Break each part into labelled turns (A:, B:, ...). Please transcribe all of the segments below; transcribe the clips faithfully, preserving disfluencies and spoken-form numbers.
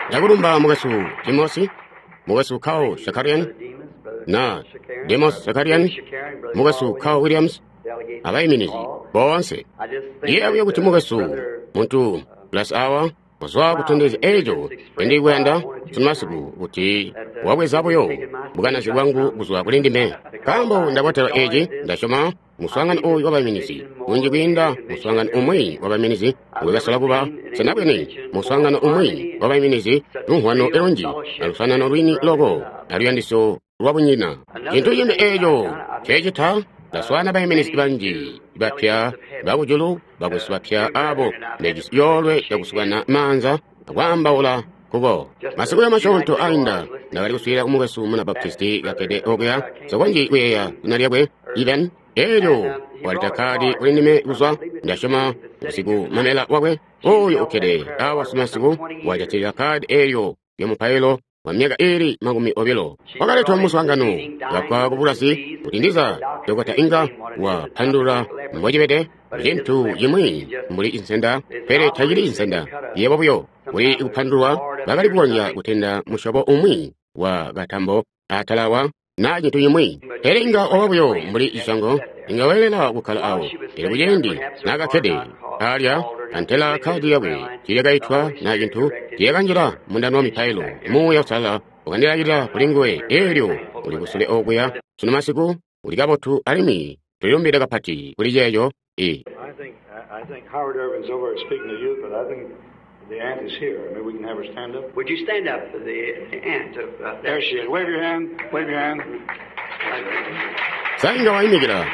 A: Ndakulumba mukwesu Timosi, mukwesu Carl Shakarian, na Demos Shakarian, mukwesu Carl Williams, abayiminizi boonse. Ndiyeeya buyo kuti mukwesu muntu plus awa kuzwa kutondezya eco ndikuyanda sunumasiku kuti wabweza buyo bukanazi bwangu kuzwa kuli ndime, nkaambo ndabotelwa eci. Ndasyoma muswaangano oyu wabayiminizi kunji kwiinda muswaangano umwi wabayiminizi ngwekasola kuba senabwene. Muswaangano umwi wabayiminizi lumvwano lunji alusanano lwini loko aluyandisyo lwabunyina. Cintu cimbi eco cecita, ndaswaana bayiminizi banji bapya bakujulu, bakwesu bapya abo ndejisi yoolwe yakusukana maanza akwaambaula kuko. Masiku ya masyoonto ainda ndakali kuswiilila kumukwesu muna Baptisti kakkede okuya, sokonji kuyeeya zina lyakwe, Even. Elyo waleta kadi kuli ndime kuzwa, ndasyoma usiku mamela wakwe oyo ukkede awa simasiku, wajatilila kadi elyo lyamupailo wa myaka ili makumi obilo. Wakaletwa muswaangano kapwa kubulasi kuti ndiza Dokota inga wapandulula mbocibede, cintu cimwi mbuli insenda, pele tacili insenda yebo buyo kuli kupandulwa. Bakali kukonzya kutenda musyobo umwi wa katambo atalawa na cintu cimwi, pele inga waba buyo mbuli cisyango, inga weelela kukkala awo. Pele kuciindi naakakkede alya, antela kadi yakwe tiiyakaitwa na cintu, tiiyakanjila mundando wa mipailo. Muuya Uusalala wakandilakila kuli nguwe. Eelyo uli kusule okuya sunu masiku, uli kabotu, alimwi tulilumbide kapati kuli ceeco.
B: I think, I think Howard Irvin's over speaking to you, but I think the aunt is here. Maybe we can have her stand up.
C: Would you stand up for the aunt of uh,
B: There she is. Wave your hand. Wave your hand.
A: Sa inga waimikila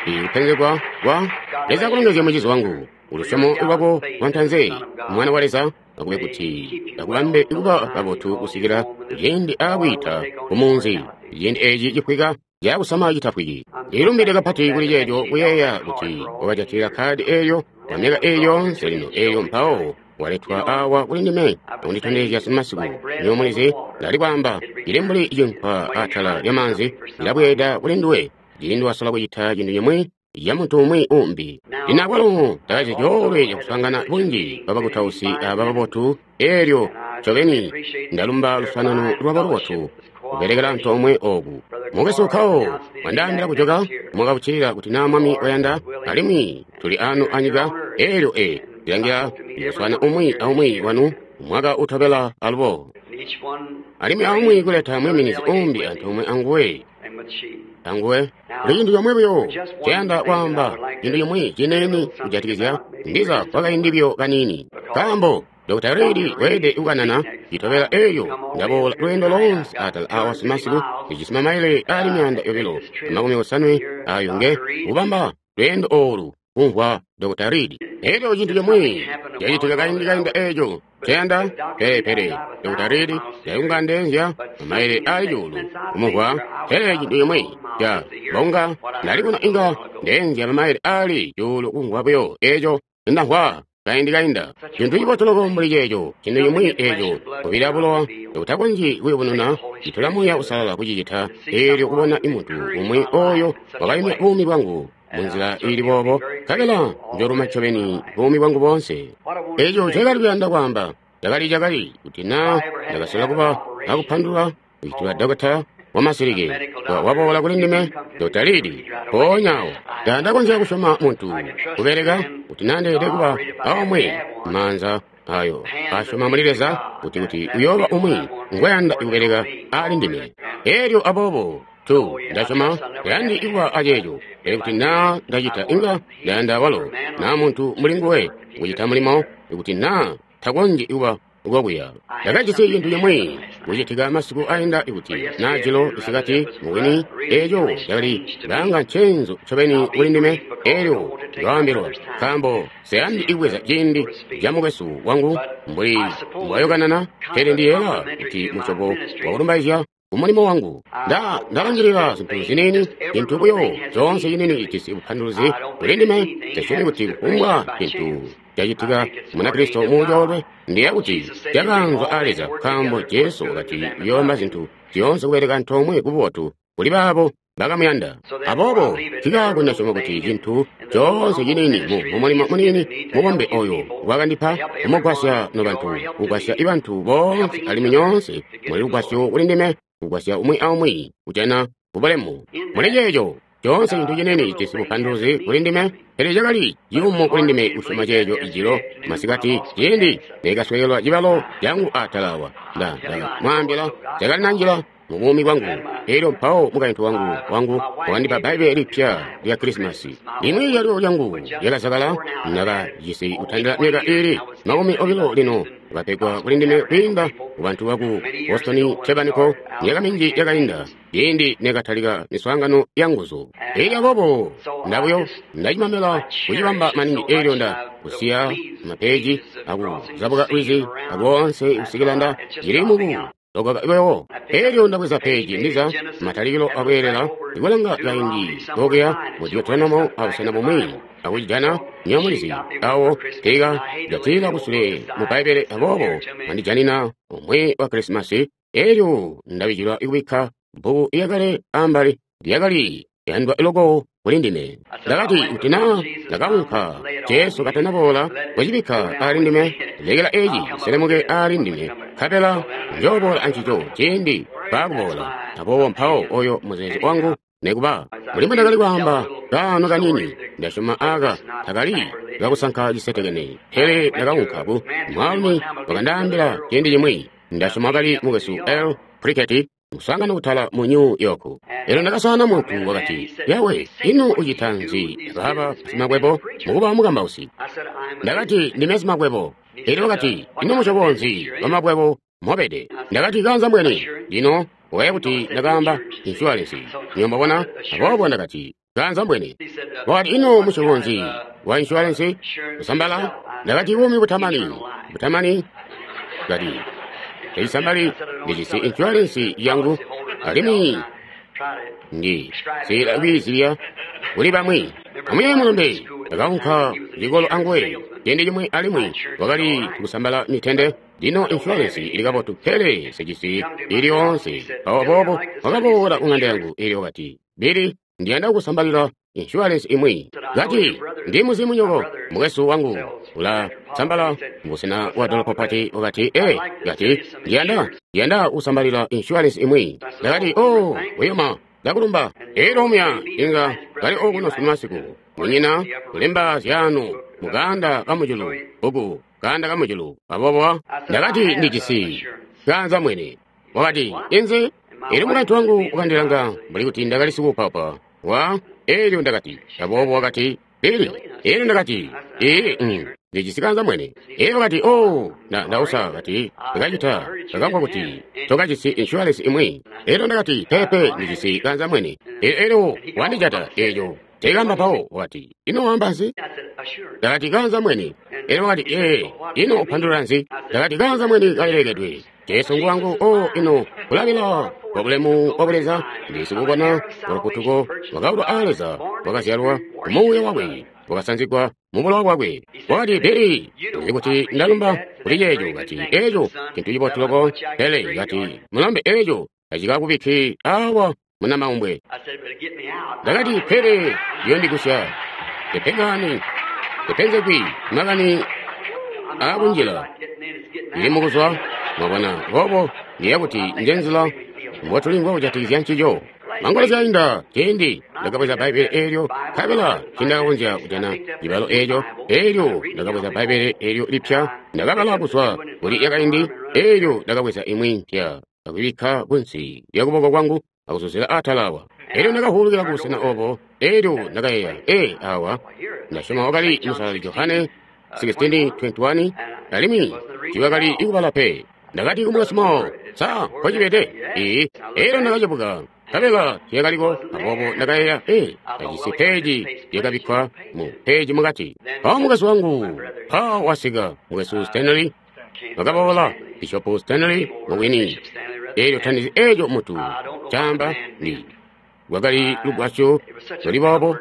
A: ikupenzegwa kwa Leza kulongezya mucizi wangu. Ulusyomo lwako lwantanze, mwana wa Leza akube kuti akubambe kuba kabotu kusikila ciindi aakwiita kumunzi, ciindi eci cifwika cakusama citafwiki. Ndilumbide kapati kuli ceeco, kuyeeya kuti wakajatilila kadi eeyo kwa myaka eeyo yoonse lino, eeyo mpawo waletwa awa kuli ndime akunditondezya simasiku. Nywebo mulizi, ndali kwaamba, cili mbuli cinkwa atala lyamaanzi, cilabweeda kuli nduwe ciindi wasola kucita cintu cimwi ya muntu umwi umbi. Lino akwalo ndakajisi coolwe cakuswaangana bunji bwabakutausi aba babotu, eelyo ncobeni ndalumba luswaanano lwabo lubotu kubelekela antoomwe oku. Mukwesu Carl wandaambila kujoka mwaka uccilila kuti naa Mwami wayanda, alimwi tuli ano anyika. Eelyo e ndilangila ndiyooswaana umwi aumwi wanu mwaka utobela alubo, alimwi aumwi kuleta mwiminizi umbi antoomwe anguwe anguwe. Kuli cintu comwe buyo cayanda kwaamba, cintu cimwi ciniini kujatikizya ndiza kwakaindi buyo kaniini, nkaambo Dokota Reid weelede kukanana citobela. Eelyo ndaboola lweendo loonse atala awa simasiku, ndijisi mamaile ali myaanda yobilo amakumi osanwe ayo nge kubamba lweendo oolu kumvwa Dokota Reid. Eelyo cintu cimwi cacitika kaindi kainda eeco cayanda, pele pele Dokota Reid yayunga ndeenzya mamaile ali cuulu kumumvwa, pele cintu cimwi ca bonga ndali kuno inga ndeenzya mamaile ali cuulu kumvwa buyo eeco ndamvwa kaindi kainda. Cintu cibotu loko mbuli ceeco, cintu cimwi eeco kubila bulowa utakonzyi kuyubununa, citola Muuya Uusalala kucicita. Eelyo kubona imuntu umwi oyo wakayumya buumi bwangu munzila iili boobo, nkabela njoluma ncobeni buumi bwangu boonse. Eeco cakali kuyanda kwaamba cakali cakali kuti naa ndakasola kuba akupandulula kucitila dokota wamasilike waboola kuli ndime, Dokota Reid, mpoonya awo ndandakonzya kusyoma muntu kubeleka kuti nandeelede kuba aomwe maanza ayo asyoma muli Leza kuti kuti uyooba umwi ngwayanda kubeleka ali ndime. Eelyo aboobo tu ndasyoma ndayandi kuba aceeco, pele kuti naa ndacita inga ndayanda walo naa muntu mbuli nguwe kucita mulimo, kuti naa takonzyi kuba kokuya. Ndakajisi cintu cimwi kucitika masiku ainda kuti naa jilo isikati, mubwini eeco cakali langa ncenzu ncobeni kuli ndime. Eelyo ndakaambilwa, nkaambo siyandi kubweza ciindi ca mukwesu wangu mbuli mbwayokanana, pele ndiyeeya kuti musyobo wakulumbaizya kumulimo wangu. Nda ndalangilila zintu ziniini, cintu buyo coonse ciniini cijisi bupanduluzi kuli ndime. Nsesyomi kuti kufumbwa cintu cacitika Munakristo mucoolwe, ndiyeeya kuti cakaanzwa a Leza, nkaambo Jesu wakati uyoobamba zintu zyoonse kubeleka antoomwe kububotu kuli baabo bakamuyanda. Aboobo nkikaako ndasyoma kuti cintu coonse ciniini mu mulimo muniini mubombe oyo wakandipa kumugwasya nobantu, kugwasya bantu boonse alimwi nyoonse muli lugwasyo kuli ndime, kugwasya umwi aumwi kujana kubulemu. Muli ceeco coonse cintu ciniini cijisi bupanduluzi kuli ndime, pele cakali ciyumu kuli ndime kusyoma ceeco ijilo masikati ciindi nekaswekelwa cibalo cangu atala awa. Nda ndamwaambila cakali nanjila mu buumi bwangu. Elyo mpawo mukaintu wangu wangu wakandipa Bbaibbele lipya lya Krisimasi. Limwi lyalyo lyangu lyakazakala, ndakajisi kutandila myaka iili makumi obilo lino wakapegwa kuli ndime kwiinda ku bantu baku Boston Tabernacle myaka minji yakainda ciindi nekatalika miswaangano ya nguzu. Elyo aboobo ndabuyo ndacimamela kucibamba maningi elyo nda kusiya mapeji akuzabuka lwizi akoonse kusikila nda cili muku lokoka iwewo. Elyo ndabweza peji ndiza matalikilo akweelela ikulanga kaindi kokuya mu Deuteronomo abusena bumwi akucijana nyomulizi awo tika jatila kusule mu Bbaibbele aboobo wandijanina umwi wa Krisimasi. Elyo ndabijilwa ikubikka bbuku iyakale ambali lyakali yandwa iloko kuli ndime. Ndakati kuti naa ndakaunka Jesu katanaboola kucibikka ali ndime, lekela eci selemuke ali ndime, nkabela njooboola ancico ciindi baakuboola. Aboobo mpawo oyo muzeezo wangu nekuba mbuli mbwendakali kwaamba kaano kanini, ndasyoma aka takali kakusanka cisetekene, pele ndakaunka ku mwaalumi wakandaambila ciindi cimwi, ndasyoma wakali mukwesu L. Prickett muswaangano kutala mu New York. Elyo ndakaswaana muntu wakati, yawe, ino ucita nzi akaba simakwebo mukuba mukambausi? Ndakati, ndime simakwebo. Elyo wakati, ino musyobo nzi wamakwebo mobede? Ndakati, kanza mbweni. Lino waya kuti ndakaamba insurance. Niyo mbabona, aboobo ndakati, kanza mbweni. Wakati, ino musyobo nzi wa insurance? Kusambala? Ndakati, buumi butamani. Butamani? Kati, teisambali ndijisi insurance yangu alimwi ndi sila kwiizilya kuli bamwi. Amuyeeye mulombe ndakaunka cikolo anguwe ciindi cimwi alimwi wakali kusambala mitende. Lino insurance ili kabotu pele sijisi ili yoonse. Mpawo aboobo wakaboola ku ng'anda yangu elyo wakati, Billy, ndiyanda kukusambalila insurance imwi. Kati, ndi muzimu nyoko, mukwesu wangu ula sambala mbusena wa dolopo pati. Wakati, eh, kati, ndiyanda, ndiyanda kusambalila insurance imwi. Ndakati, oh, wiyoma, ndakulumba. Elyo omuya inga kali okuno sunu masiku, munyina kulemba zyanu mukanda kamujulu, uku kanda kamujulu. Aboobo ndakati ndijisi kanza mwene. Wakati, inzi? Elyo mukaintu wangu wakandilanga mbuli kuti ndakali sikuupaupa wa elyo ndakati, aboobo wakati, Billy. Elyo ndakati, ee, mm, ndijisi kanza mwene. Elyo wakati, oh, nda ndausa, kati, ndakacita, ndakamvwa kuti tokajisi insurance imwi. Elyo ndakati, pepe, ndijisi kanza mwene. Elyo wandijata eyo teekamba mpawo. Wakati, ino wamba nzi? Ndakati, kanza mwene. Elyo wakati, ee, ino upandulula nzi? Ndakati, kanza mwene kalilekedwe. Jesu nguwangu, oh, ino kulabila kwa bulemu bwa Buleza, ndisikubona olukutuko wakaulwa a Leza, wakazyalwa ku muuya wakwe, wakasanzigwa mu bulowa bwakwe. Wakati, Billy, uzi kuti ndalumba kuli ceeco. Kati, eeco cintu cibotu loko, pele kati, mulombe eeco tacikakubikki awa munamaumbwe. Ndakati, pele liyondigusya tepengani tepenzegwi makani aakunjila ndili mukuzwa. Mwabona, boobo ndiya kuti njenzila mbotulimvwa kujatikizya ncico. Mangolezya ainda ciindi ndakabweza Bbaibbele eelyo, nkabela tiindakakonzya kujana cibalo eeco. Eelyo ndakabweza Bbaibbele eelyo lipya, ndakabala kuzwa kuli yakaindi. Eelyo ndakabweza imwi mpya akuyibikka kunsi lyakuboko kwangu akuzuzila atala awa. Eelyo ndakavuulukila kubusena obo. Eelyo ndakayeeya, ee, awa ndasyoma wakali Musalali Johane sixteen twenty-one, alimwi tiiwakali ikubala pe. Ndakati kumukwesu Moore, sa nkocibede? Ee. Eelyo ndakacebuka, nkabela tiyakaliko. Aboobo ndakayeeya, ee, ajisi peji lyakabikkwa mu peji mukati. Mpawo mukwesu wangu mpawo wasika, mukwesu Stanley wakaboola, Bishop Stanley mubwini. Eelyo tandizi eeco mutu caamba ndi lwakali lugwasyo luli boobo.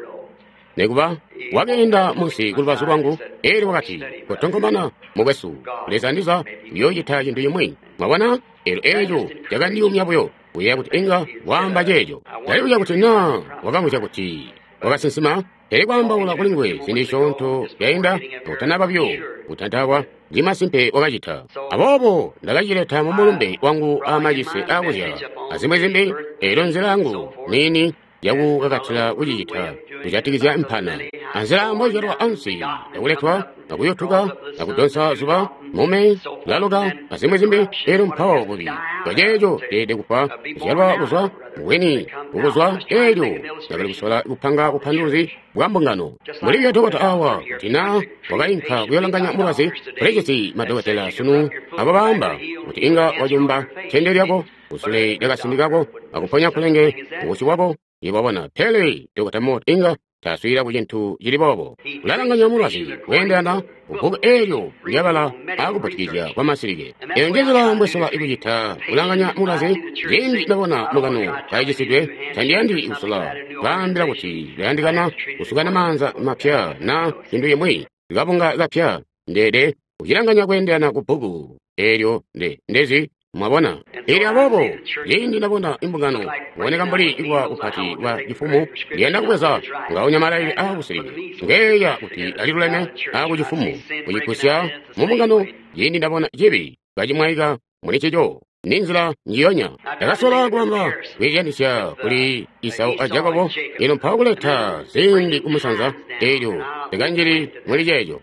A: Nekuba wakeenda munsi kulubazu lwangu, eelyo wakati, kotonkomana mukwesu, Leza ndiza uyoocita cintu cimwi. Mwabona, eelyo eeco cakandiyumya buyo. Kuyeeya kuti inga waamba ceeco. Ndalibuzya kuti naa wakamvwisya kuti wakasinsima, pele kwaambaula kuli nguwe ziindi zisyoonto zyainda akutanaba buyo kutantakwa, ndi masimpe wakacita. Aboobo ndakacileta mu mulumbe wangu aamacise aakuzyala azimwi zimbi, eelyo nzila yangu niini yakukakatila kucicita kujatikizya mpana. Anzila mbozyalwa ansi yakuletwa akuyutuka akudonsa zuba mume laloka azimwi zimbi, eelyo mpawo bubi bwaceeco ceelede kufwa kuzyalwa kuzwa bwini kukuzwa. Eelyo ndakali kusola kupanga bupanduluzi bwa mbungano. Mulibyo dokota awa kuti naa wakainka kuyolanganya mulwazi, ulijisi madokotela sunu abo baamba kuti inga wacumba tende lyako kusule lyakasindi kako akuponya kulenge kubusyu bwako. Yebo pele Dokota Mott inga taswiila ku cintu cili boobo. Ulalanganya mulwazi kweendelana kubbuku eelyo lyabala akubutikizya kwa masilike. Eyo njenzila mbwesola ikucita kulanganya mulwazi. Ciindi ndabona mukano kaicisidwe, tandiyandi kusola baambila kuti bayandikana kusukana maanza mapya na cintu cimwi kabunga kapya. Ndeede kucilanganya kweendelana ku bbuku eelyo nde ndezi. Mwabona? Elyo aboobo ciindi ndabona imbungano kuboneka mbuli kuba kupati kwa cifumu, ndiyanda kubweza ngaunya malailile aabusilike ngeeya kuti aliluleme aakucifumu kucigusya mu mbungano. Ciindi ndabona cibi kacimwaika muli ncico, ni nzila njiyonya. Ndakasola kubamba kwiizyanisya kuli Isau a Jakobo, ino mpawo kuleta ziindi kumusanza, eelyo ndikanjili muli ceeco.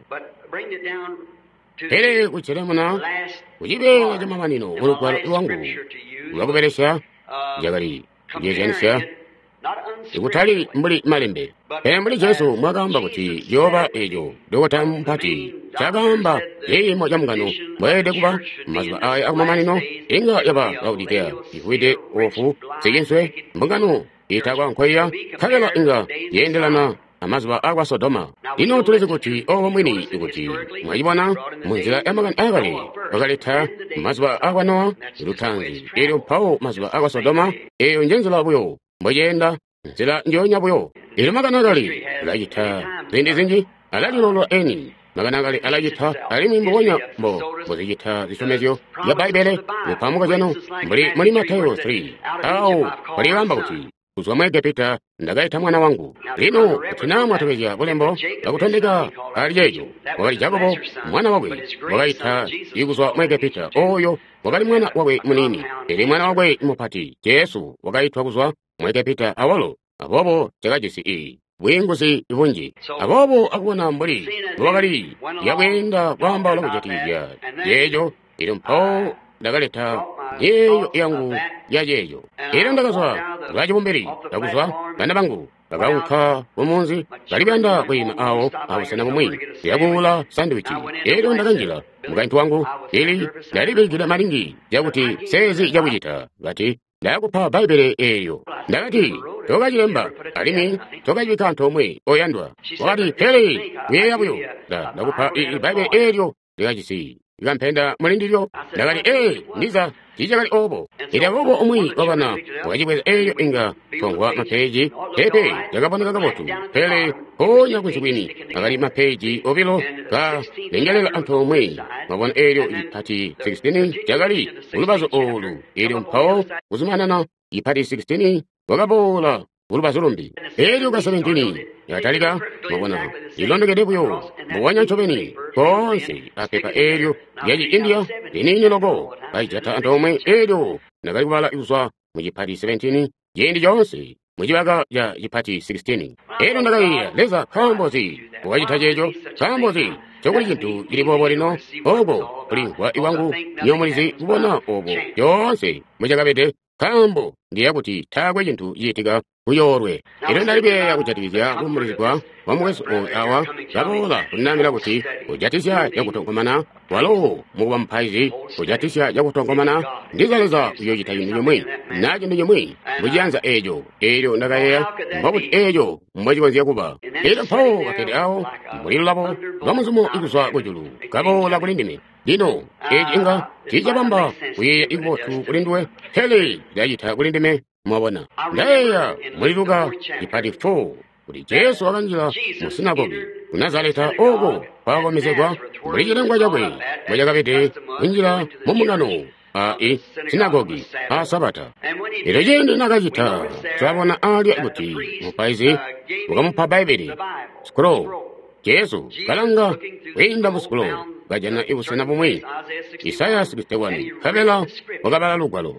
A: Pele kucelemuna kucibeela camamanino mulugwalo lwangu lwakubelesya cakali kuceezyanisya ikutali mbuli malembe, pele mbuli Jesu mwakaamba kuti ciyooba eeco dokota mupati cakaamba ciimo ca mbungano mbweelede kuba mazuba aya akumamanino. Inga yaba Laodikea ivwide ofu sikinswe mbungano itakwa nkoiya, nkabela inga yeendelana amazuba akwa Sodoma. Lino tulizi kuti obo mwini kuti mwacibona munzila ya makani aakale wakaleta mazuba akwa Nowa lutanzi, eelyo mpawo mazuba akwa Sodoma. Eeyo njenzila buyo mbweceenda, nzila njoonya buyo. Eelyo makani akale alacita ziindi zinji, alalilola eni. Makani akale alacita alimwi mbubonya mbo mbozicita zisyomezyo zya Bbaibbele mupamuka zyanu mbuli muli Matayo three awo palibamba kuti kuzwa mu Egepita ndakaita mwana wangu. Lino kuti naa mwatobezya bulembo bakutondeka ali ceeco, wakali Jakobo mwana wakwe wakaita ikuzwa mu Egepita. Oyo wakali mwana wakwe muniini, pele mwana wakwe mupati Jesu wakaitwa kuzwa mu Egepita awalo. Aboobo cakajisi iyi bwiinguzi bunji. Aboobo akubona mbuli mbowakali yakweenda kwaambaula kujatikizya ceeco, elyo mpawo ndakaleta nyeeyo yangu ya ceeco. Elyo ndakazwa lwacibumbili, ndakuzwa bana bangu bakaunka kumunzi bali kuyanda kwiima awo abusena bumwi yakuula sandiwichi. Elyo ndakanjila mukaintu wangu ili ndalibikila malingi cakuti sezi cakucita bati ndakupa Bbaibbele eelyo. Ndakati tokacilemba alimwi tokacibikka antoomwe oyandwa. Wakati pele kuyeeya buyo ndakupa Bbaibbele eelyo likajisi ikampenda mulindilyo. Ndakati ee ndiza tiicakali oobo. Elyo aboobo umwi wabana wakacibweza eelyo inga twamvwa mapeeji pepe cakaboneka kabotu, pele mpoonya kunsi kwini akali mapeeji obilo kalengelela antoomwe. Mwabona eelyo ipati sixteen cakali kulubazu oolu, eelyo mpawo kuzumanana ipati sixteen wakaboola kulubazu lumbi, eelyo ka seventeen yakatalika. Mwabona lilondokede buyo mbubonya ncobeni koonse apepa eelyo lyaci India liniini loko kaijata antoomwe. Eelyo ndakali kubala kuzwa mu cipati seventeen ciindi coonse mucibaka ca cipati sixteen. Eelyo ndakayeeya, Leza nkaambo nzi wakacita ceeco? Nkaambo nzi cokuli cintu cili boobo lino? Ooko kulimvwa kwangu nyomulizi kubona obo coonse mbocakabede, nkaambo ndiyeeya kuti taakwe cintu ciitika kuyoolwe. Elyo ndali kuyeeya kujatikizya kuumbulizigwa kwa mukwesu oyu awa kaboola kundaambila kuti kujatisya cakutonkomana, walo mukuba mupaizi kujatisya cakutonkomana, ndiza Leza uyoocita cintu cimwi na cintu cimwi muciyanza eeco. Eelyo ndakayeeya, mbobuti eeco mbocikonzya kuba? Elyo mpawo kakkede awo mbuli lulabo lwa muzumo ikuzwa kujulu kaboola kuli ndime. Lino eeci inga tiicabamba kuyeeya ikubotu kuli nduwe, pele cilacita kuli ndime. Mwabona, ndayeeya muli Luka cipati four kuti Jesu wakanjila mu sinagogi ku Nazareta oko kwakomezegwa mbuli cilengwa cakwe mbocakabede kunjila mu mbungano a i sinagogi a sabata. Elyo ciindi nakacita, twabona alya kuti mupaizi wakamupa Bbaibbele scroll. Jesu kalanga kwiinda mu scroll, kajana ibusena bumwi, Isaya sixty-one, nkabela wakabala lugwalo.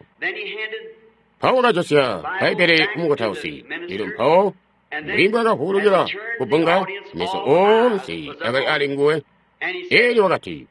A: Mpawo wakajosya Bbaibbele kumukutausi. Elyo mpawo mbuli mbwakavulukila kubbunga, meso oonse akali ali nguwe. Elyo wakati,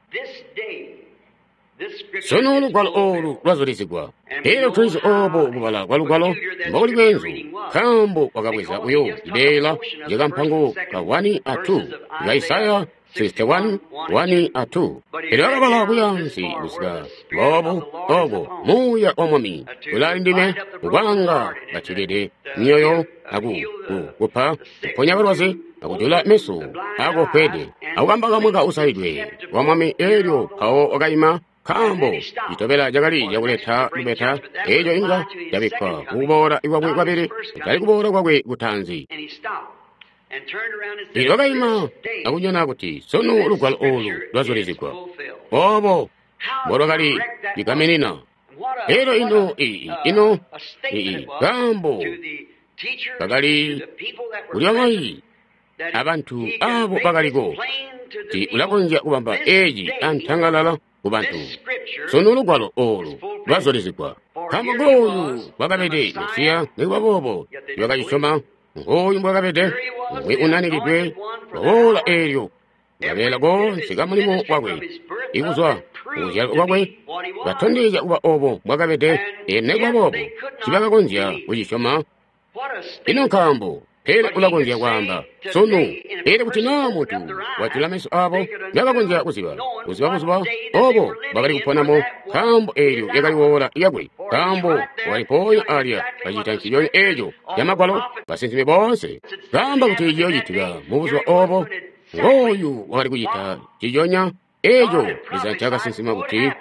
A: sunu lugwalo olu lwazulizigwa. Elyo tulizi obo kubala kwa lugwalo mbokuli bweenzu, nkaambo wakabweza buyo cibeela cakampango ka one a two ka Isaya sixty-one, one a two. Elyo wakabala kuyaansi kusika boobu oko Muuya wa Mwami ulaali ndime ukwaanga bacilede myoyo aku kupa kuponya balwazi akujula meso akofwede akukamba kamwe ka usaidwe wa Mwami. Elyo mpawo wakaima, nkaambo citobela cakali cakuleta lubeta, eco inga cabikkwa kukuboola kwakwe kwabili, kutali kuboola kwakwe kutaanzi. Elyo wakaima akunyona kuti sunu lugwalo olu lwazulizigwa. Obo mbolwakali ligaminina. Elyo ino ii ino ii nkaambo kakali kuli bamayi abantu abo bakaliko kuti ulakonzya kubamba eci antangalala ku bantu. Sunu lugwalo olu lwazulizigwa. Nkaambo ngooyu bwakabede Mesiya, nikuba boobo tibakacisyoma. Ngooyu mbwakabede umwi unanikidwe waboola eelyo kabeela koonse ka mulimo wakwe ikuzwa kukuzyalwa kwakwe katondezya kuba obo mbwakabede. Elyo nikuba boobo tibakakonzya kucisyoma. Ino nkaambo pele ulakonzya kwaamba sunu, elyo kuti naa muntu wajula meso abo, bakakonzya kuziba kuziba buzuba obo bakali kuponamo, nkaambo eelyo lyakali woola lyakwe, nkaambo wakali mpoonya alya kacita nciconya eeco camagwalo basinsimi boonse kaamba kuti ciyoocitika mubuzuba obo. Ngooyu wakali kucita nciconya eeco Leza ncakasinsima kuti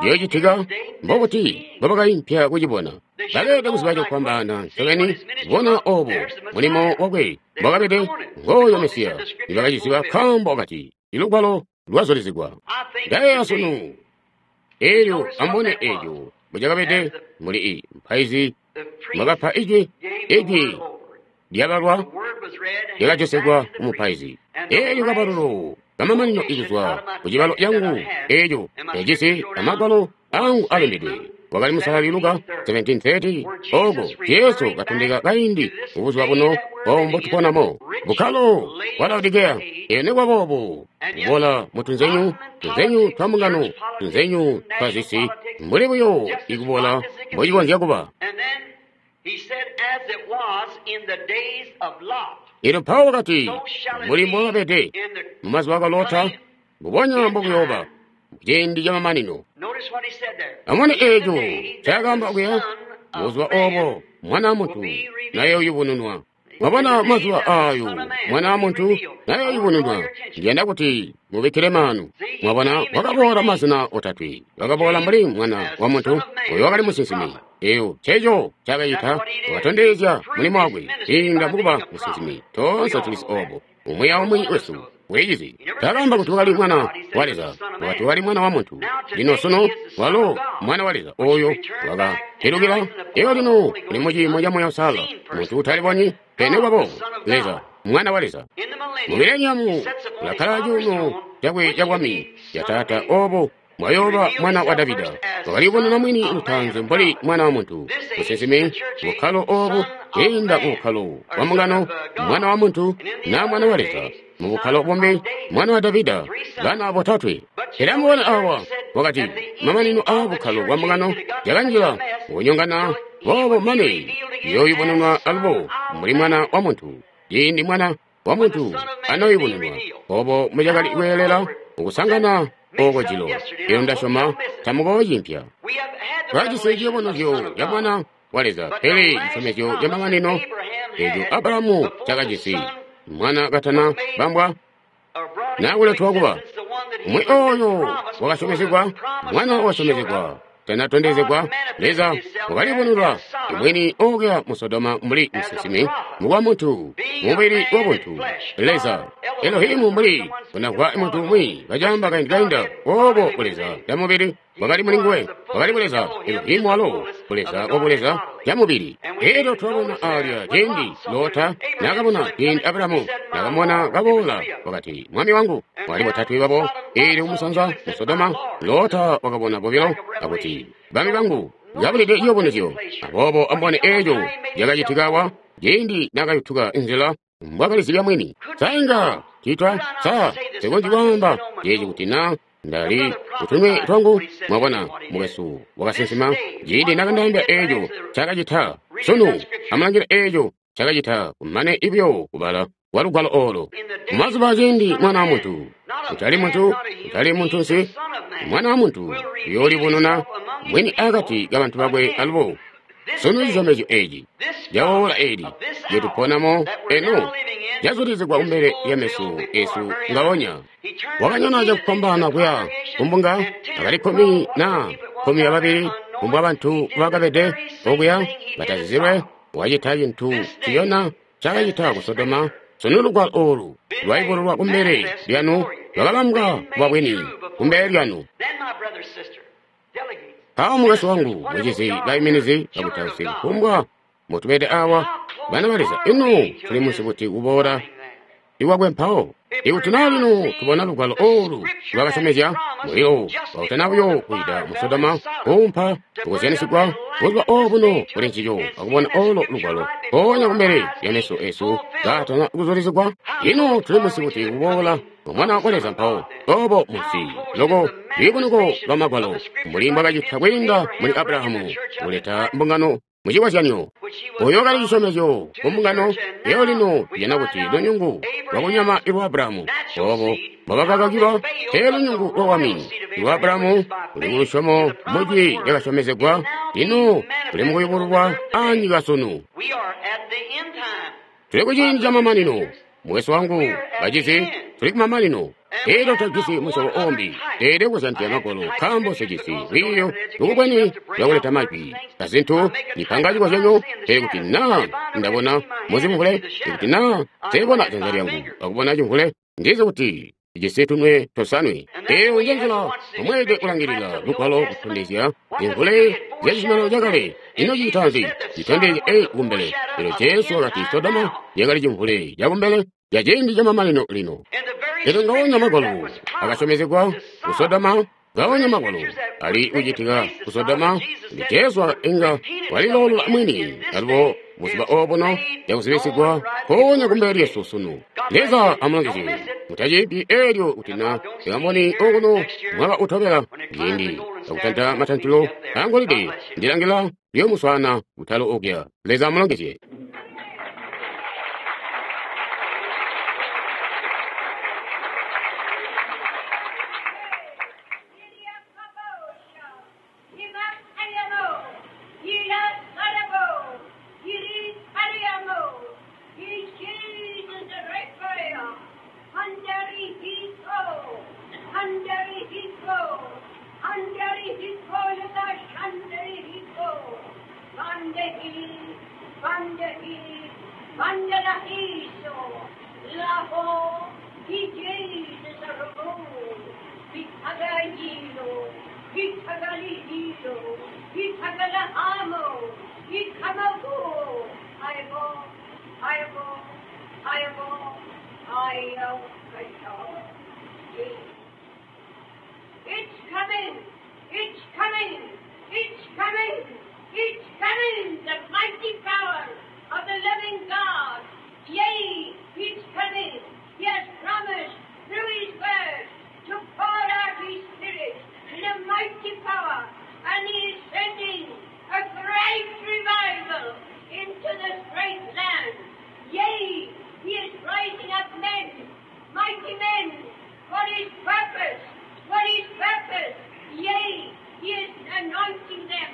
A: ciyoocitika. Mbokuti mbobakaimpya kucibona. Bakeelede kuziba cokufwambaana ncobeni kubona obo mulimo wakwe mbwakabede. Ngooyo Mesiya nibakaciziba, nkaambo wakati ilugwalo lwazulizigwa. Ndayeeya sunu elyo amubone eco mbocakabede muli i mpaizi mwakapa ijwi, ijwi lyabalwa lyakajosegwa kumupaizi. Elyo kabalulu kamamanino ikuzwa kucibalo cangu eco yajisi amagwalo angu alembedwe wakali musalali Luka seventeen thirty, oko Jesu katondeka kaindi mubuzuba buno obo mbotuponamo bukkalo bwa Laodikeya. Elyo nikuba boobo kubola mutunzenyu tunzenyu twa mbungano, tunzenyu twa zisi, mbuli buyo ikubola mbocikonzya kuba. Elyo mpawo wakati, mbuli mbwakabede mumazuba a Lota, mbubonya mbokuyooba ciindi camamanino. Amubone eeco ncaakaamba okuya, buzuba obo Mwana wa Muntu nayoyubununwa. Mwabona mazuba ayo Mwana wa Muntu nayoyubununwa. Ndiyanda kuti mubikkile maanu. Mwabona wakaboola mazina otatwe. Wakaboola mbuli Mwana wa Muntu, oyo wakali musinsimi. Eyo nceco ncaakacita, wakatondezya mulimo wakwe kwiinda mukuba musinsimi. Toonse tulizi obo, umwi aumwi wesu ulicizi. Taakaamba kuti wakali Mwana wa Leza, wakati wakali Mwana wa Muntu. Lino sunu walo Mwana wa Leza oyo wakapilukila. Elyo lino uli muciimo ca Muuya Uusalala, muntu utalibonyi, pele nikuba boobo Leza, Mwana wa Leza. Mu mileniamu ulakkala cuuno cakwe cabwami ca Taata obo mwayooba Mwana wa Davida. Wakaliyubununa mwini lutaanzi mbuli Mwana wa Muntu, musinsimi, bukkalo obu kwiinda ku bukkalo bwa mbungano, Mwana wa Muntu na Mwana wa Leza, mu bukkalo bumbi Mwana wa Davida, bana botatwe. Pele amubone awa, wakati mamanino aa bukkalo bwa mbungano yakanjila kunyongana boobo mane iyooyubununwa alubo mbuli Mwana wa Muntu. Ciindi Mwana wa Muntu anoyubununwa, obo mucakali kweelela ukusangana oko jilo. Elyo ndasyoma tamukooyimpya. Twajisi ciyubunuzyo ca Mwana wa Leza, pele cisyomezyo ca mamanino eco Abrahamu cakajisi mwana katana bambwa nakuletwa kuba umwi oyo wakasyomezegwa, mwana wakasyomezegwa tanatondezegwa. Leza wakalibonera mwini okuya mu Sodoma mbuli musinsimi, Mukuba muntu, mubili wabuntu, Leza, Elohimu mbuli unamvwa muntu umwi kacamba kaindi kainda, obo buleza bwa mubili bwakali muli nguwe, bwakali buleza Elohimu walo, buleza wa buleza bwa mubili. Elyo twabona alya ciindi Lota nakabona ciindi Abrahamu nakamubona kaboola, wakati, Mwami wangu, wali botatwe babo, eelyo kumusanza mu Sodoma, Lota wakabona bobilo, akuti, Bami bangu, kabulide ciyubunuzyo. Aboobo amubone eeco cakacitika awa, ciindi nakayutuka nzila mbwakalizibya mwini. Sa inga citwa sa sikonzyi kwaamba ceeci kuti na ndali kutunwe twangu. Mwabona, mukwesu wakasinsima ciindi nakandaambila eeco cakacita. Sunu amulangile eeco cakacita kumane ibyo kubala kwa lugwalo olo. Mumazuba aciindi Mwana wa Muntu, kutali muntu, kutali muntunsi, Mwana wa Muntu uyoolibonona mwini akati kabantu bakwe alubo. Sunu cisyomezyo eeci cawoola eeli lyetuponamo eno cazulizigwa kumbele lya meso esu ngaonya. Wakanyona cakufwambaana kuya kumbunga akali kkumi na kkumi ababili kumbwa bantu bakabede okuya batazizilwe. Wacita cintu ciyona cakacita ku Sodoma. Sunu lugwalo olu lwaikululwa kumbele lyanu, lwakalambwa kuba bwini kumbele lyanu. Mpawo mukwesu wangu, mucizi, baiminizi bakutausi, kufumbwa mutubede awa, bana ba Leza, ino tuli munsi buti kuboola ikwakwe mpawo? Ikuti naa lino tubona lugwalo olu lwakasyomezya mulilo wautana buyo kwiida mu Sodoma kuumpa kukozyanisigwa buzuba obuno kuli ncico akubona olo lugwalo mpoonya kumbele lya meso esu kaatana kuzulizigwa. Ino tuli munsi buti kuboola Mwana wa Leza mpawo? Obo munsi loko lwiibunuko lwa Magwalo mbuli mbwakacita kwiinda muli Abrahamu kuleta mbungano mucikozyanyo. Oyo kali cisyomezyo ku mbungano eyo lino tujana kuti lunyungu lwakunyama lwa Abrahamu obo mbwabakakakilwa te lunyungu lwa wami lwa Abrahamu luli ku lusyomo mujwi lyakasyomezegwa lino luli mukuyubululwa anyika sunu. Tuli ku ciindi camamanino. Mukwesu wangu, bacizi, tuli kumamanino. Elyo tajisi musyobo ombi teelede kuzyandya Magwalo, nkaambo sijisi lwiiyo lukubwene lwakuleta majwi azintu nipanga cikozyanyo. Pele kuti naa ndabona muzimvule, ikuti naa nseebona janza lyangu akubona cimvule, ndizi kuti ijisi tunwe tosanwe. Eyo nje nzila omweelede kulangilila lugwalo kutondezya zimvule zya cizuminano cakale. Ino cicita nzi? Citondezya eyi kumbele. Elyo Jesu wakati Sodoma yakali cimvule cakumbele ca ciindi camamanino lino. Elyo ngaonya Magwalo akasyomezegwa ku Sodoma, ngaonya Magwalo ali kucitika ku Sodoma, kuti Jesu inga waliloolola mwini alubo buzuba obuno yakuzibisigwa mpoonya kumbele lyesu sunu. Leza amulongezye. Mutaciipi eelyo kuti na tikamboni okuno mwaka utobela ciindi akutanta matantilo angolide ndilangila lyomuswaana kutalo okuya. Leza amulongezye.
D: It's coming! It's coming! It's coming! It's coming! The mighty power of the living God! Yea, it's coming! He has promised through His word to pour out His Spirit in a mighty power, and He is sending a great revival into this great land. Yea, He is rising up men, mighty men, for His purpose, for His purpose. Yea, He is anointing them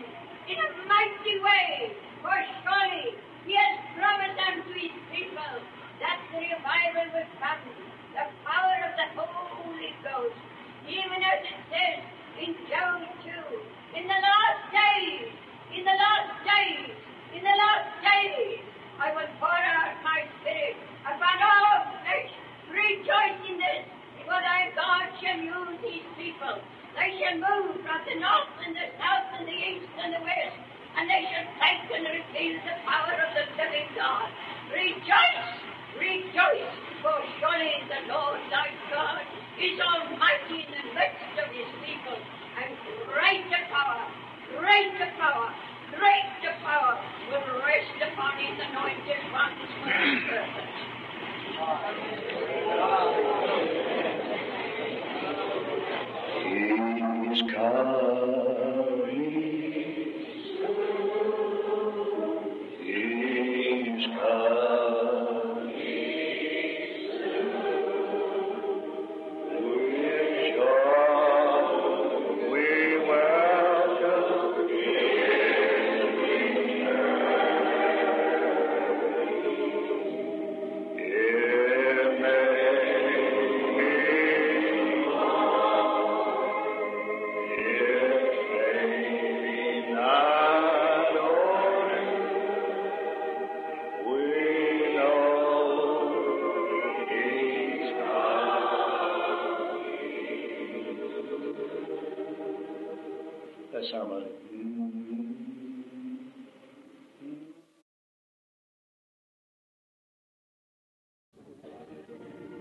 D: in a mighty way, for surely He has promised unto His people that the revival will come, the power of the Holy Ghost, even as it says in Joel two, in the last days, in the last days, in the last days, I will pour out shall move from the north and the south and the east and the west, and they shall take and reveal the power of the living God. Rejoice, rejoice, for surely the Lord thy God is almighty in the midst of his people, and greater power, greater power, greater power will rest upon his anointed ones for his purpose.
B: He's coming. He's coming. With joy we welcome him. It may be If they be not ordered, we know He's coming. That's our mother.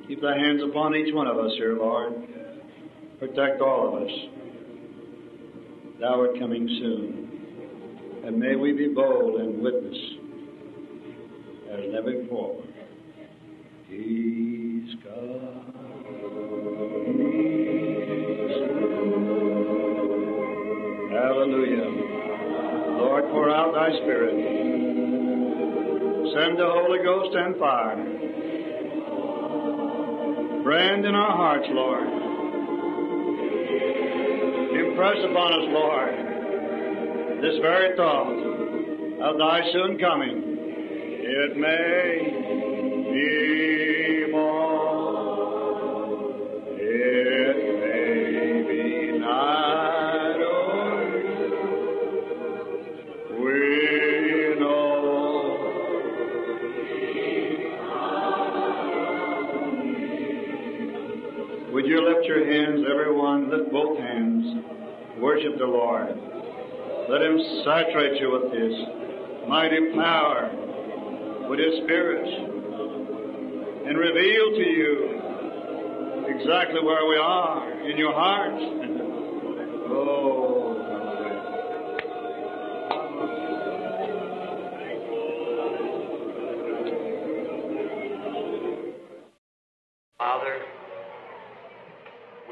B: Keep thy hands upon each one of us here, Lord. Protect all of us. Thou art coming soon. And may we be bold and witness as never before. He's coming soon. Hallelujah. Lord, pour out thy Spirit. Send the Holy Ghost and fire. Brand in our hearts, Lord. Impress upon us, Lord, this very thought of thy soon coming. It may be more, it may be night or we know. Would you lift your hands, everyone? Lift both hands. Worship the Lord. Let Him saturate you with His mighty power, with His Spirit, and reveal to you exactly where we are in your heart. Oh, hallelujah.
C: Father,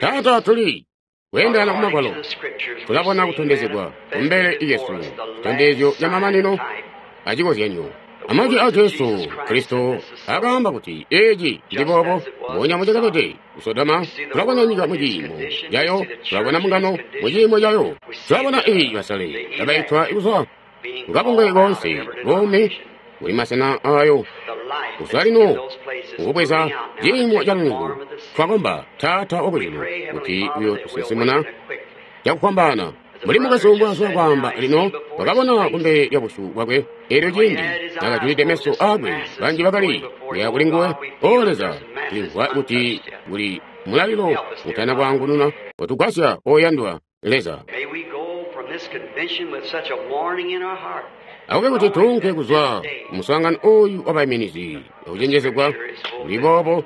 A: Taata tuli kweendana ku Magwalo
C: according to the scriptures, we
A: tulabona
C: see
A: kutondezegwa
C: manifested
A: kumbele
C: before
A: Yesu
C: us the last
A: tondezyo lya mamanino
C: sign type,
A: acikozyanyo amajwi a Jesu Kristo akaamba kuti eci cili boobo mbubonya mucakabede ku Sodoma tulabona nyika mu ciimo cayo tulabona mbungano mu ciimo cayo tulabona iyi basale kabaitwa kuzwa
C: being
A: kukabungwe
C: called out of
A: konse
C: every
A: buumi
C: denomination.
A: buli masena ayo
C: The life
A: kuzwa
C: that's
A: lino
C: in those places
A: ukubweza
C: moving out now
A: ciimo
C: to
A: ca
C: take the
A: lungu
C: form of the saints.
A: twakomba Taata
C: We
A: wakujulu
C: pray, Heavenly
A: kuti
C: Father, that we'll
A: uyotusinsimuna
C: awaken quickly.
A: cakufwambaana
C: As the
A: muli
C: brother
A: mukwesu
C: just
A: mbwazwa
C: said now,
A: kwaamba
C: he
A: lino
C: seen before his
A: wakabona
C: face
A: kumbele lya busyu bwakwe eelyo
C: when he
A: ciindi
C: had his eyes
A: nakajulide
C: closed,
A: meso
C: just
A: aakwe
C: masses
A: banji
C: going
A: bakali
C: before
A: kuya
C: him.
A: kuli
C: Oh
A: nguwe
C: God, we
A: o
C: feel that
A: Leza
C: there's masses
A: tulimvwa kuti
C: untouched yet.
A: kuli mulalilo
C: Help us, dear
A: utana
C: Father.
A: kwaangununa utugwasya oyandwa Leza
C: May we go from this convention with such a warning in our heart,
A: akube kuti
C: knowing
A: tuunke
C: that this
A: kuzwa
C: day
A: muswaangano oyu wabaiminizi akucenjezegwa
C: Scripture is
A: kuli
C: fulfilled.
A: boobo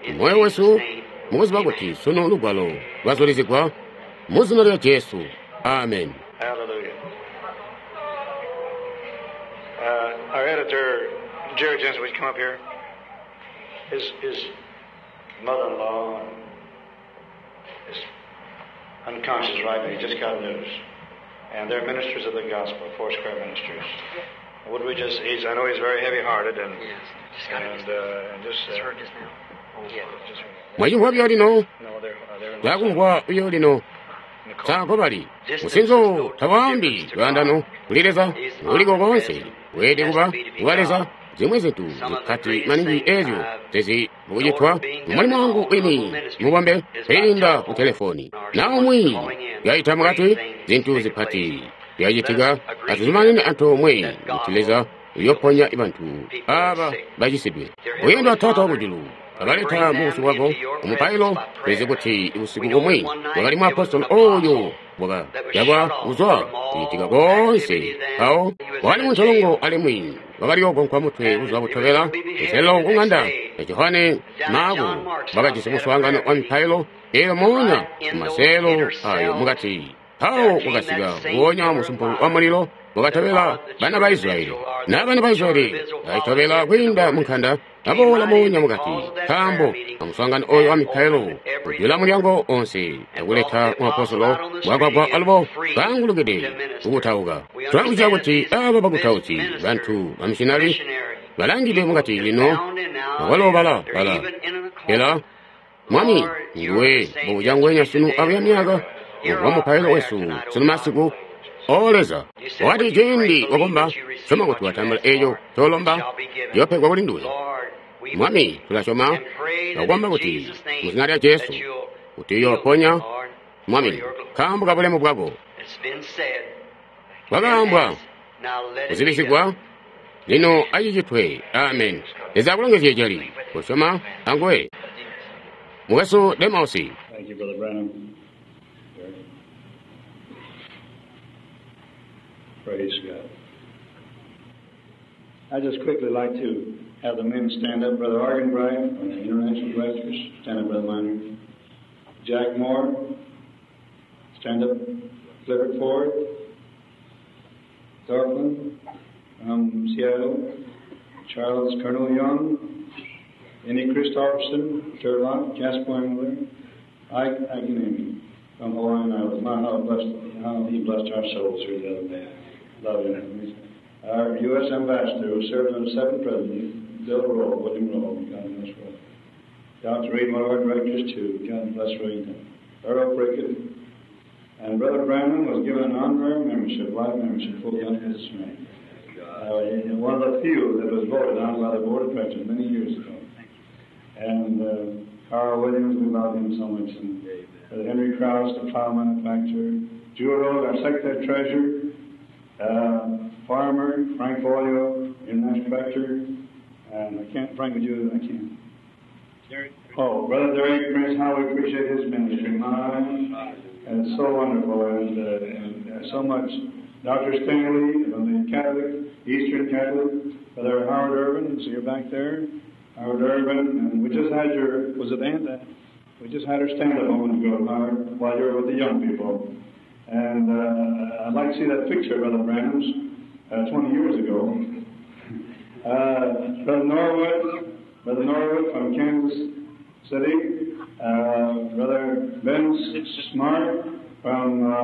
C: In
A: moyo
C: Jesus'
A: wesu
C: name,
A: mukuziba
C: amen.
A: kuti sunu lugwalo lwazulizigwa mu zina lya Jesu amen.
B: Hallelujah. Uh, our editor, Jerry Jensen, would you come up here? His, his mother-in-law is unconscious right now. He just got news. And they're ministers of the gospel, Four Square Ministers. Would we just, he's, I know he's very heavy-hearted and,
C: Yes, just got it
B: and,
C: just,
B: uh, and just,
C: just
B: uh,
C: heard just now. Yeah.
B: just,
A: Mwachimvwa byo lino
B: no, they're, uh, they're in
A: takumvwa byo lino
B: Nicole.
A: saako bali
C: Distance is
A: musinzo
C: no
A: tawaambi
C: difference to
A: lwandano
C: God.
A: kuli Leza
C: He's
A: uliko konse
C: omnipresent. He
A: weelede
C: has
A: kuba
C: to be to be
A: kuba Leza
C: God.
A: zimwe zintu
C: Some of the
A: zikati
C: greatest
A: maningi
C: things
A: ezyo
C: I've
A: tezi mukucitwa
C: noted being done
A: mumulimu
C: in
A: wangu
C: all humble
A: wini
C: ministry
A: mubombe
C: is by
A: kwiinda ku
C: telephone
A: telefoni
C: or
A: na
C: someone
A: umwi
C: calling in.
A: yaita mukati
C: Great things
A: zintu
C: taking
A: zipati
C: place. Let
A: byacitika
C: us agree
A: atuzumanene
C: together
A: antoomwe
C: that
A: kuti
C: God
A: Leza
C: will heal
A: uyoponya bantu
C: people that are
A: aba
C: sick.
A: bacisidwe
C: Dear
A: uyendwa
C: Heavenly
A: Taata
C: Father,
A: wakujulu Abaleta mu busyu bwako umupailo. Tulizi kuti usiku bumwi wakali muapostolo oyo wakayabwa kuzwa kucitika koonse mpawo wakali muntolongo alimwi wakaliogonkwa mutwe buzuba butobela kuselo ku ng'anda ya Johane Maako bakajisi muswaangano wa mipailo eyo moonya mumaseelo ayo mukati. Mpawo wakasika nguonya musumpu wa mulilo wakatobela bana ba Israyeli na bana ba Israyeli baitobela kwiinda mu nkanda aboola moonya mukati, nkaambo amuswaangano oyo wa mipailo kujula mulyango onse akuleta muapostolo bwakwagwa alubo baangulukide kukutauka. Tulakuziba kuti aba bakutausi bantu bamishinali balangide mukati lino akwalo bala bala ela Mwami nguwe mbuja ngwenya sunu abuya myaka wa mupailo wesu sunu masiku. O Leza, wakati ciindi wakomba syoma kuti watambula eeco colomba yopegwa kuli nduwe. Mwami, tulasyoma akukomba kuti mu zina lya Jesu kuti uyooponya Mwami nkaambo ka bulemu bwako. Kwakaambwa kuzibisigwa lino acicitwe. Amen. Leza akulongezye celi kusyoma anguwe. Mukwesu Demausi.
B: Thank you, Brother Branham. Praise God. I just quickly like to have the men stand up. Brother Arganbright from the International Directors, stand up, Brother Miner. Jack Moore, stand up. Clifford Ford, Thorpland from Seattle, Charles Colonel Young, Annie Christofferson, Turlock, Jasper Engler, Ike Akinemi from Hawaiian Islands. My, how, blessed, how he blessed our souls here the other day. Love him. Our U S Ambassador, who served under seven presidents, Bill Rowe, William Rowe, God bless Rowe. Doctor Reed, one of our directors, too. God bless Reed. Earl Prickett. And Brother Branham was given an honorary membership, life membership, full under his name. Uh, one of the few that was voted on by the board of directors many years ago. And uh, Carl Williams, we love him so much. And Brother Henry Krause, the plow manufacturer. Jewel Road, our secretary treasurer. Uh, Farmer, Frank Folio, international director. And I can't, Frank, would you, I can't. Oh, Brother Derek Prince, how we appreciate his ministry. My, it's so wonderful and, uh, and uh, so much. Doctor Stanley from the Catholic, Eastern Catholic, Brother Howard Irvin, so you're back there. Howard Irvin, and we just had your, was it Aunt? We just had her stand up a moment ago, Howard, while you were with the young people. And uh, I'd like to see that picture, Brother Branham's, uh, twenty years ago. Uh, Brother Norwood, Brother Norwood from Kansas City, uh, Brother Ben Smart from uh,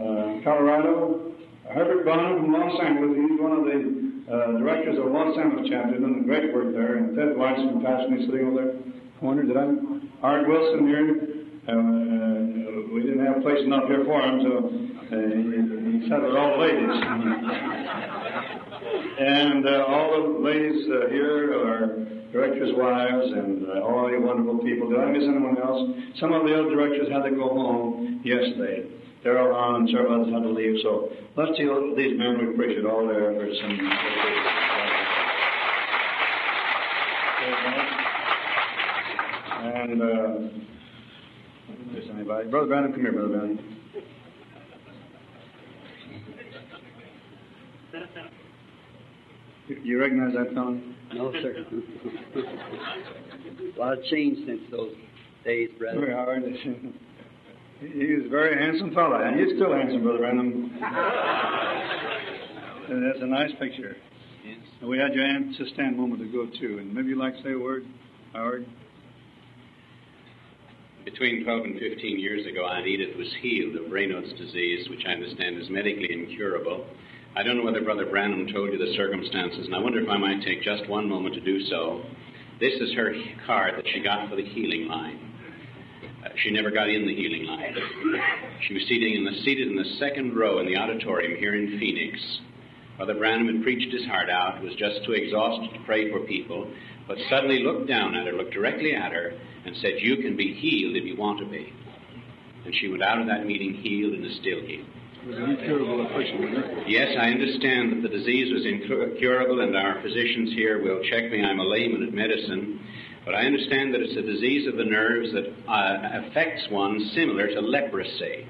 B: uh, Colorado, Herbert Bonham from Los Angeles, he's one of the uh, directors of Los Angeles chapter, doing great work there, and Ted Weiss from Pasadena sitting over there. Corner, did I? Art Wilson here. Uh, uh, we didn't have place enough here for him, so uh, he, he sat with all the ladies. And uh, all the ladies uh, here are directors' wives and uh, all you wonderful people. Did I miss anyone else? Some of the other directors had to go home yesterday. Darrell Hahn and several others had to leave. So let's see these men. We appreciate all their efforts. And, and uh, there's anybody. Brother Branham, come here, Brother Branham. You recognize that fellow?
C: No, sir. A lot of change since those days, brother.
B: Very hard. He was a very handsome fellow, and he's still handsome, Brother Branham. And that's a nice picture.
C: Yes.
B: And we had your aunt to stand a moment ago, too. And maybe you'd like to say a word, Howard?
E: Between twelve and fifteen years ago, Aunt Edith was healed of Raynaud's disease, which I understand is medically incurable. I don't know whether Brother Branham told you the circumstances, and I wonder if I might take just one moment to do so. This is her card that she got for the healing line. Uh, she never got in the healing line. She was seated in the, seated in the second row in the auditorium here in Phoenix. Brother Branham had preached his heart out, was just too exhausted to pray for people, but suddenly looked down at her, looked directly at her, and said, "You can be healed if you want to be." And she went out of that meeting healed and is still healed.
B: It was an incurable affliction, wasn't it?
E: Yes, I understand that the disease was incurable, and our physicians here will check me. I'm a layman at medicine. But I understand that it's a disease of the nerves that uh, affects one similar to leprosy.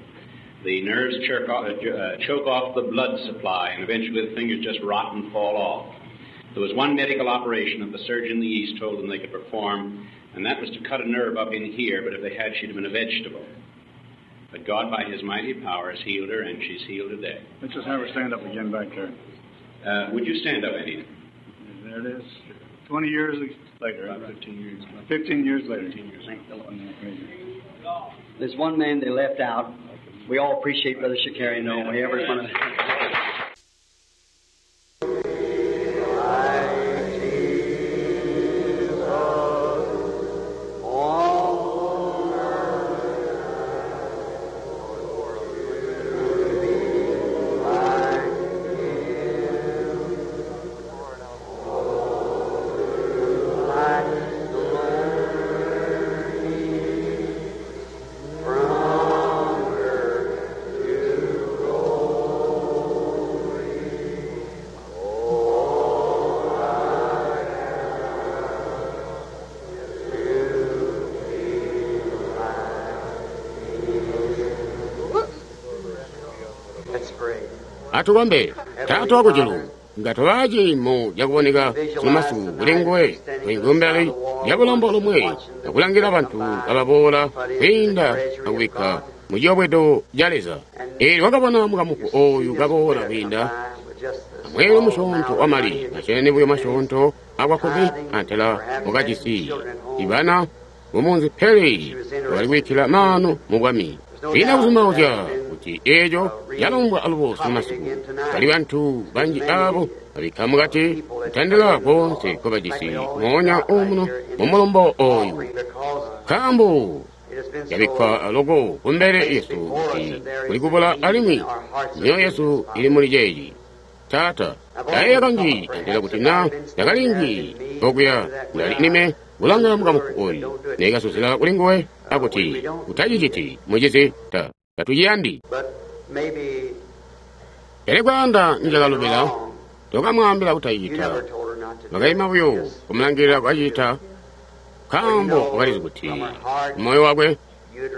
E: The nerves choke off, uh, choke off the blood supply, and eventually the fingers just rot and fall off. There was one medical operation that the surgeon in the East told them they could perform, and that was to cut a nerve up in here, but if they had, she'd have been a vegetable. But God, by His mighty power, has healed her, and she's healed today.
B: Let's just have her stand up again back there.
E: Uh, would you stand up, Eddie?
B: There it is. Twenty years later.
E: About fifteen years.
B: Fifteen years later.
E: Fifteen years.
C: There's one man they left out. We all appreciate Brother Shakarian, though. We ever gonna.
A: Atukombe Taata wakujulu nga tobaaci mu jakuboneka sunu kuli nguwe kumbali lya bulombo lomwe akulangila bantu ababoola kwiinda akubikka mu ciyobwedo ca Leza. Eelyo wakabona mukamufu oyu kaboola kwiinda amweelo musyoonto wa mali macene buyo masyoonto akwakkumi antela wakajisi ibana mumunzi pele wakali kubikkila maanu mu bwami. Kwiina kuzumauzya kuti eeco yalombwa alubo sunu masiku. Bali bantu banji abo babikka mukati kutandila koonse nkobajisi moonya omuno mumulombo oyu. Nkaambo yabikkwa loko kumbele yesu kuti kuli kubula alimwi myoyo yesu ili muli ceeci. Taata, ndayeeya kanji antela kuti na ndakalinji okuya ndali nime kulanga mukamufu oyu nekasuzila kuli nguwe akuti utaciciti mucizi ta tatuciyandi. Pele kwaanda njakalubila tokamwaambila kutacicita. Wakaima buyo kumulangilila kwacita nkaambo wakalizi kuti moyo wakwe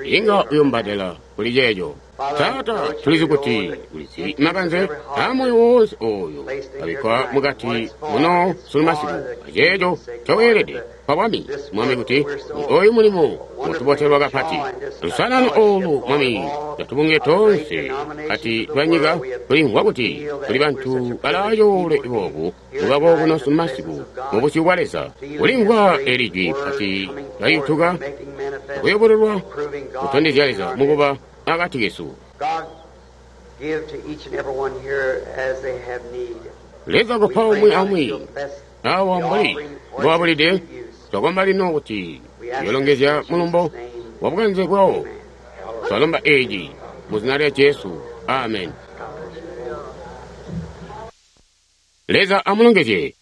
A: inga uyombatela kuli ceeco. Taata, tulizi kuti ulizi makanze aamoyo woonse oyo abikkwa mukati muno sunu masiku aceeco ncoweelede kwa bwami Mwami kuti oyu mulimo utubotelwa kapati. Lusanano olu Mwami latubunge tonse kati twanyika tulimvwa kuti tuli bantu balaacoole boobu mubako kuno sunu masiku mu busyu bwa Leza. Kulimvwa eli jwi pati layutuka akuyobololwa kutondezya Leza mukuba akati kesu. Leza kupa umwi aumwi awa mbuli mbowabulide twakomba lino kuti uyolongezya mulumbo wa bukanze bwawo. Twalomba eeci mu zina lya Jesu. Amen. Leza amulongezye.